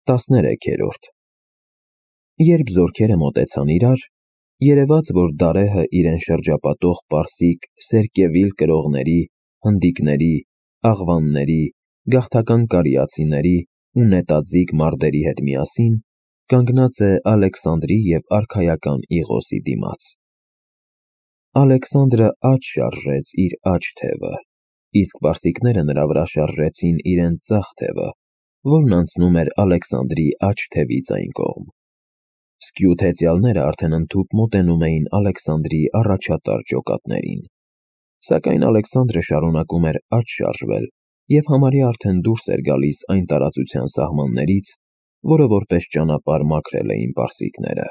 13-րդ Երբ զորքերը մոտեցան իրար, երևաց, որ Դարեհը իրեն շրջապատող պարսիկ սերկևիլ կրողների, հնդիկների, աղվանների, գաղթական կարիացիների ու նետաձիգ մարդերի հետ միասին կանգնած է Ալեքսանդրի և արքայական Իղոսի դիմաց։ Ալեքսանդրը աջ շարժեց իր աջ թևը, իսկ պարսիկները նրա վրա շարժեցին իրենց ձախ թևը, որն անցնում էր Ալեքսանդրի աջ թևից այն կողմ։ Սկյութ հեծյալները արդեն ընդհուպ մոտենում էին Ալեքսանդրի առաջատար ջոկատներին, սակայն Ալեքսանդրը շարունակում էր աջ շարժվել և համարյա արդեն դուրս էր գալիս այն տարածության սահմաններից, որը որպես ճանապարհ մաքրել էին պարսիկները։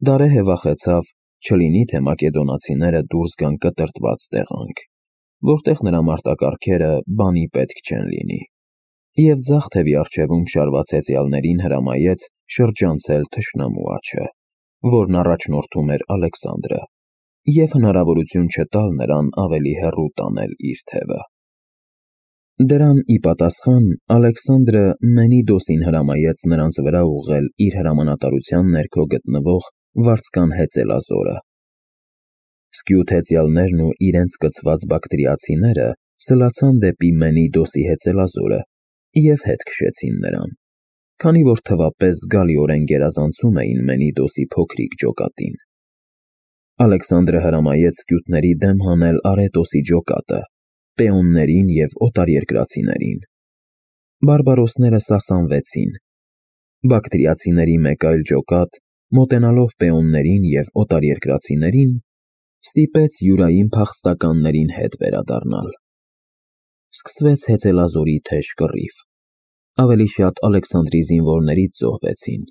Դարեհը վախեցավ, չլինի թե մակեդոնացիները դուրս գան կտրտված տեղանք, որտեղ նրա մարտակառքերը բանի պետք չեն լինի, և ձախ թևի առջևում շարված հեծյալներին հրամայեց շրջանցել թշնամու աջը, որն առաջնորդում էր Ալեքսանդրը, և հնարավորություն չտալ նրան ավելի հեռու տանել իր թևը։ Դրան ի պատասխան Ալեքսանդրը Մենիդոսին հրամայեց նրանց վրա ուղղել իր հրամանատարության ներքո գտնվող վարձկան հեծելազորը։ Սկյութ հեծյալներն ու իրենց կցված բակտրիացիները սլացան դեպի Մենիդոսի հեծելազորը և հետ քշեցին նրան, քանի որ թվապես զգալիորեն գերազանցում էին Մենիդոսի փոքրիկ ջոկատին։ Ալեքսանդրը հրամայեց սկյութների դեմ հանել Արետոսի ջոկատը, պեոններին և օտարերկրացիներին։ Բարբարոսները սասանվեցին։ Բակտրիացիների մեկ այլ ջոկատ, մոտենալով պեոններին և օտարերկրացիներին, ստիպեց յուրային փախստականներին հետ վերադառնալ։ Սկսվեց հեծելազորի թեժ կռիվ։ Ավելի շատ Ալեքսանդրի զինվորներից զոհվեցին։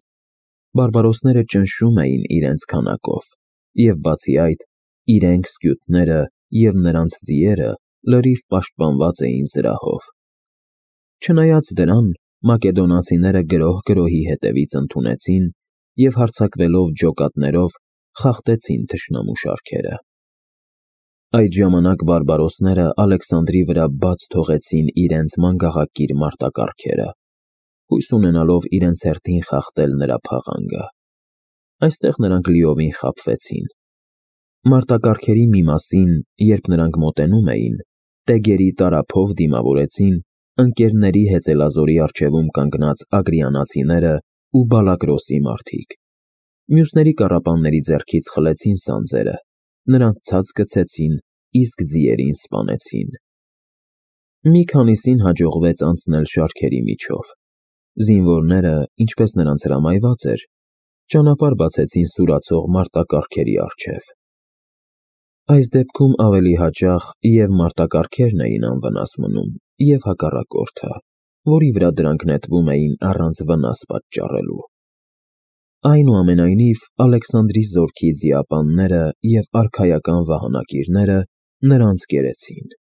Բարբարոսները ճնշում էին իրենց քանակով, և բացի այդ, իրենք սկյութները և նրանց ձիերը լրիվ պաշտպանված էին զրահով։ Չնայած դրան, մակեդոնացիները գրոհ-գրոհի հետևից ընդունեցին և հարձակվելով ջոկատներով խախտեցին թշնամու շարքերը։ Այդ ժամանակ բարբարոսները Ալեքսանդրի վրա բաց թողեցին իրենց մանգաղակիր մարտակառքերը, հույս ունենալով իրենց հերթին խախտել նրա փաղանգը։ Այստեղ նրանք լիովին խաբվեցին։ Մարտակառքերի մի մասին, երբ նրանք մոտենում էին, տեգերի տարափով դիմավորեցին ընկերների հեծելազորի առջևում կանգնած ագրիանացիները ու Բալակրոսի մարդիկ։ Մյուսների կառապանների ձեռքից խլեցին սանձերը, նրանց ցած գցեցին, իսկ ձիերին սպանեցին։ Մի քանիսին հաջողվեց անցնել շարքերի միջով։ Զինվորները, ինչպես նրանց հրամայված էր, ճանապարհ բացեցին սուրացող մարտակառքերի առջև։ Այս դեպքում ավելի հաճախ և մարտակառքերն էին անվնաս մնում, և հակառակորդը, որի վրա դրանք նետվում էին առանց վնաս պատճառելու։ Այնուամենայնիվ, Ալեքսանդրի զորքի ձիապանները և արքայական վահանակիրները նրանց կերեցին։